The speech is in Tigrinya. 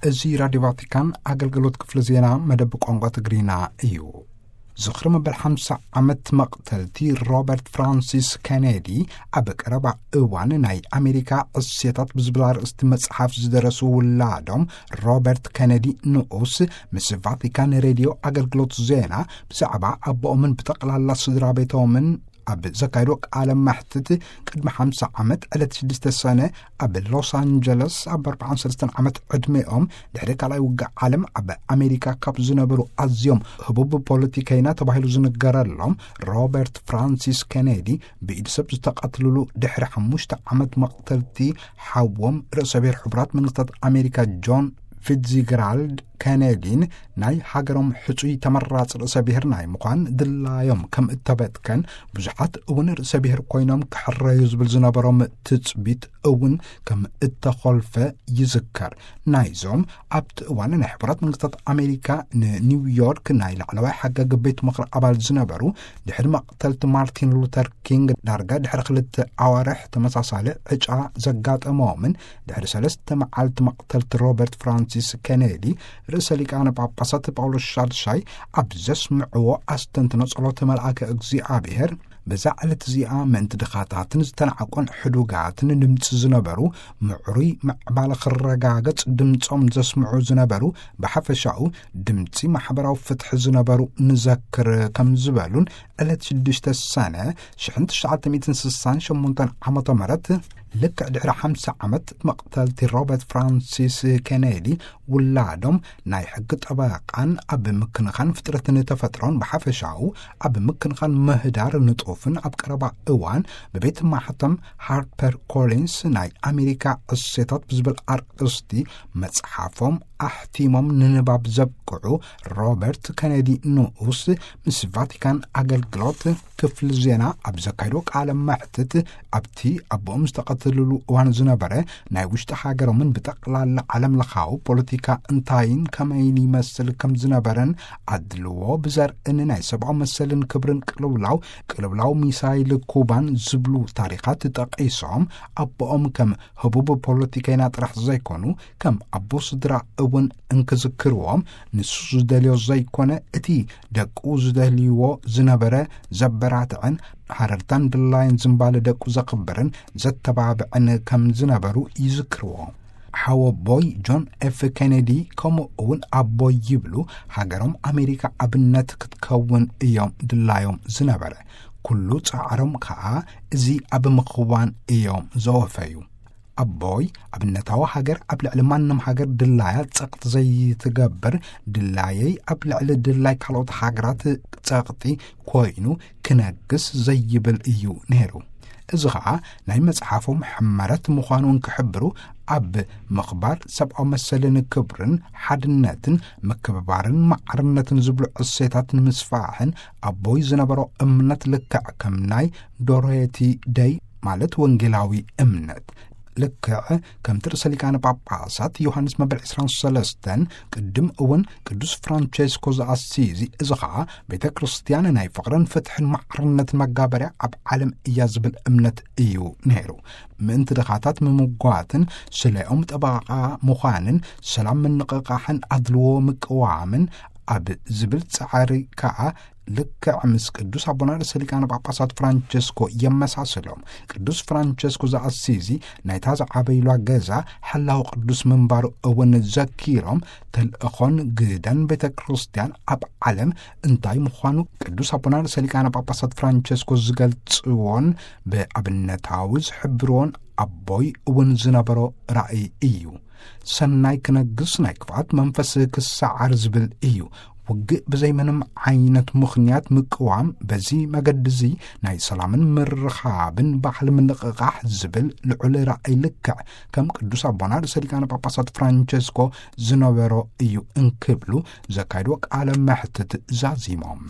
እዚ ራድዮ ቫቲካን ኣገልግሎት ክፍሊ ዜና መደብ ቋንቋ ትግርኛ እዩ። ዝኽሪ መበል ሓምሳ ዓመት መቕተልቲ ሮበርት ፍራንሲስ ኬኔዲ ኣብ ቀረባ እዋን ናይ ኣሜሪካ ዕሴታት ብዝብል ኣርእስቲ መጽሓፍ ዝደረሱ ውላዶም ሮበርት ኬኔዲ ንኡስ ምስ ቫቲካን ሬድዮ ኣገልግሎት ዜና ብዛዕባ ኣቦኦምን ብጠቕላላ ስድራ ቤቶምን ኣብ ዘካየዶ ቃለ መሕትት፣ ቅድሚ ሓምሳ ዓመት ዕለት ሽዱሽተ ሰነ ኣብ ሎስ ኣንጀለስ ኣብ ኣርባዓን ሰለስተን ዓመት ዕድሜኦም ድሕሪ ካልኣይ ውግእ ዓለም ኣብ ኣሜሪካ ካብ ዝነበሩ ኣዝዮም ህቡብ ፖለቲከይና ተባሂሉ ዝንገረሎም ሮበርት ፍራንሲስ ኬኔዲ ብኢድ ሰብ ዝተቐትልሉ ድሕሪ ሓሙሽተ ዓመት መቕተልቲ ሓዎም ርእሰ ብሔር ሕቡራት መንግስታት ኣሜሪካ ጆን ፊትዝጀራልድ ኬኔዲን ናይ ሃገሮም ሕጹይ ተመራጺ ርእሰ ብሔር ናይ ምዃን ድላዮም ከም እተበትከን፣ ብዙሓት እውን ርእሰ ብሔር ኮይኖም ክሕረዩ ዝብል ዝነበሮም ትጽቢት እውን ከም እተኾልፈ ይዝከር። ናይዞም ኣብቲ እዋን ናይ ሕቡራት መንግስታት ኣሜሪካ ንኒውዮርክ ናይ ላዕለዋይ ሓጋጊ ቤት ምኽሪ ኣባል ዝነበሩ፣ ድሕሪ መቕተልቲ ማርቲን ሉተር ኪንግ ዳርጋ ድሕሪ ክልተ ኣዋርሕ ተመሳሳሊ ዕጫ ዘጋጠሞምን ድሕሪ ሰለስተ መዓልቲ መቕተልቲ ሮበርት ፍራንሲስ ኬኔዲ፣ ርእሰ ሊቃነ ጳጳሳት ጳውሎስ ሻድሻይ ኣብ ዘስምዕዎ ኣስተንትኖ ጸሎተ መልኣከ እግዚኣብሔር፣ በዛ ዕለት እዚኣ ምእንቲ ድኻታትን ዝተናዕቆን ሕዱጋትን ድምፂ ዝነበሩ፣ ምዕሩይ ምዕባለ ክረጋገጽ ድምፆም ዘስምዑ ዝነበሩ፣ ብሓፈሻኡ ድምፂ ማሕበራዊ ፍትሒ ዝነበሩ ንዘክር ከም ዝበሉን፣ ዕለት ሽዱሽተ ሰነ ሽሕን ትሽዓተ ሚእትን ስሳን ሸሞንተን ዓመተ ምህረት፣ ልክዕ ድሕሪ ሓምሳ ዓመት መቕተልቲ ሮበርት ፍራንሲስ ኬኔዲ፣ ውላዶም ናይ ሕጊ ጠበቃን ኣብ ምክንኻን ፍጥረትን ተፈጥሮን ብሓፈሻኡ ኣብ ምክንኻን ምህዳር ንጡፍን ኣብ ቀረባ እዋን ብቤት ማሕተም ሃርፐር ኮሊንስ ናይ ኣሜሪካ እሴታት ብዝብል ኣርእስቲ መጽሓፎም ኣሕቲሞም ንንባብ ዘብቅዑ ሮበርት ኬኔዲ ንኡስ ምስ ቫቲካን ኣገልግሎት ክፍሊ ዜና ኣብ ዘካየዶ ቃለ መሕትት፣ ኣብቲ ኣቦኦም ዝተቐተልሉ እዋን ዝነበረ ናይ ውሽጢ ሃገሮምን ብጠቕላላ ዓለም ለኻዊ ፖለቲካ እንታይን ከመይን ይመስል ከም ዝነበረን፣ ኣድልዎ ብዘርእን ናይ ሰብኣዊ መሰልን ክብርን ቅልውላው፣ ቅልውላው ሚሳይል ኩባን ዝብሉ ታሪኻት ጠቒሶም፣ ኣቦኦም ከም ህቡብ ፖለቲከይና ጥራሕ ዘይኮኑ፣ ከም ኣቦ ስድራ እውን እንክዝክርዎም፣ ንሱ ዝደልዮ ዘይኮነ፣ እቲ ደቁ ዝደልይዎ ዝነበረ ዘበራትዕን፣ ሃረርታን ድላይን ዝምባለ ደቁ ዘኽብርን ዘተባብዕን ከም ዝነበሩ ይዝክርዎ። ሓወቦይ ጆን ኤፍ ኬኔዲ ከምኡ እውን ኣቦይ ይብሉ፣ ሃገሮም ኣሜሪካ ኣብነት ክትከውን እዮም ድላዮም ዝነበረ። ኩሉ ጻዕሮም ከኣ እዚ ኣብ ምኽዋን እዮም ዘወፈዩ። ኣቦይ ኣብነታዊ ሃገር ኣብ ልዕሊ ማንም ሃገር ድላያ ጸቕጢ ዘይትገብር፣ ድላየይ ኣብ ልዕሊ ድላይ ካልኦት ሃገራት ጸቕጢ ኮይኑ ክነግስ ዘይብል እዩ ነይሩ። እዚ ኸኣ ናይ መጽሓፎም ሕመረት ምዃኑ እንክሕብሩ፣ ኣብ ምኽባር ሰብኣዊ መሰልን ክብርን ሓድነትን ምክብባርን ማዕርነትን ዝብሉ እሴታት ንምስፋሕን ኣቦይ ዝነበሮ እምነት ልክዕ ከም ናይ ዶሮየቲ ደይ ማለት ወንጌላዊ እምነት። ልክዕ ከምቲ ርእሰ ሊቃነ ጳጳሳት ዮሃንስ መበል ዕስራን ሰለስተን ቅድም እውን ቅዱስ ፍራንቸስኮ ዘኣሲዚ፣ እዚ ኸኣ ቤተ ክርስቲያን ናይ ፍቕርን ፍትሕን ማዕርነትን መጋበርያ ኣብ ዓለም እያ ዝብል እምነት እዩ ነይሩ። ምእንቲ ድኻታት ምምጓትን ስለኦም ጠበቓ ምዃንን ሰላም ምንቕቓሕን ኣድልዎ ምቅዋምን ኣብ ዝብል ጻዕሪ ከኣ ልክዕ ምስ ቅዱስ ኣቦና ርእሰ ሊቃነ ጳጳሳት ፍራንቸስኮ የመሳስሎም። ቅዱስ ፍራንቸስኮ ዘኣሲዚ ናይታ ዝዓበይሏ ገዛ ሓላው ቅዱስ ምንባሩ እውን ዘኪሮም፣ ተልእኾን ግደን ቤተ ክርስቲያን ኣብ ዓለም እንታይ ምዃኑ ቅዱስ ኣቦና ርእሰ ሊቃነ ጳጳሳት ፍራንቸስኮ ዝገልጽዎን ብኣብነታዊ ዝሕብርዎን ኣቦይ እውን ዝነበሮ ራእይ እዩ። ሰናይ ክነግስ ናይ ክፍኣት መንፈስ ክሰዓር ዝብል እዩ። ውግእ ብዘይ ምንም ዓይነት ምኽንያት ምቅዋም፣ በዚ መገዲ እዚ ናይ ሰላምን ምርኻብን ባህሊ ምንቕቓሕ ዝብል ልዑል ራእይ ልክዕ ከም ቅዱስ ኣቦና ርእሰ ሊቃነ ጳጳሳት ፍራንቸስኮ ዝነበሮ እዩ እንክብሉ ዘካየድዎ ቃለ መሕትት ዛዚሞም።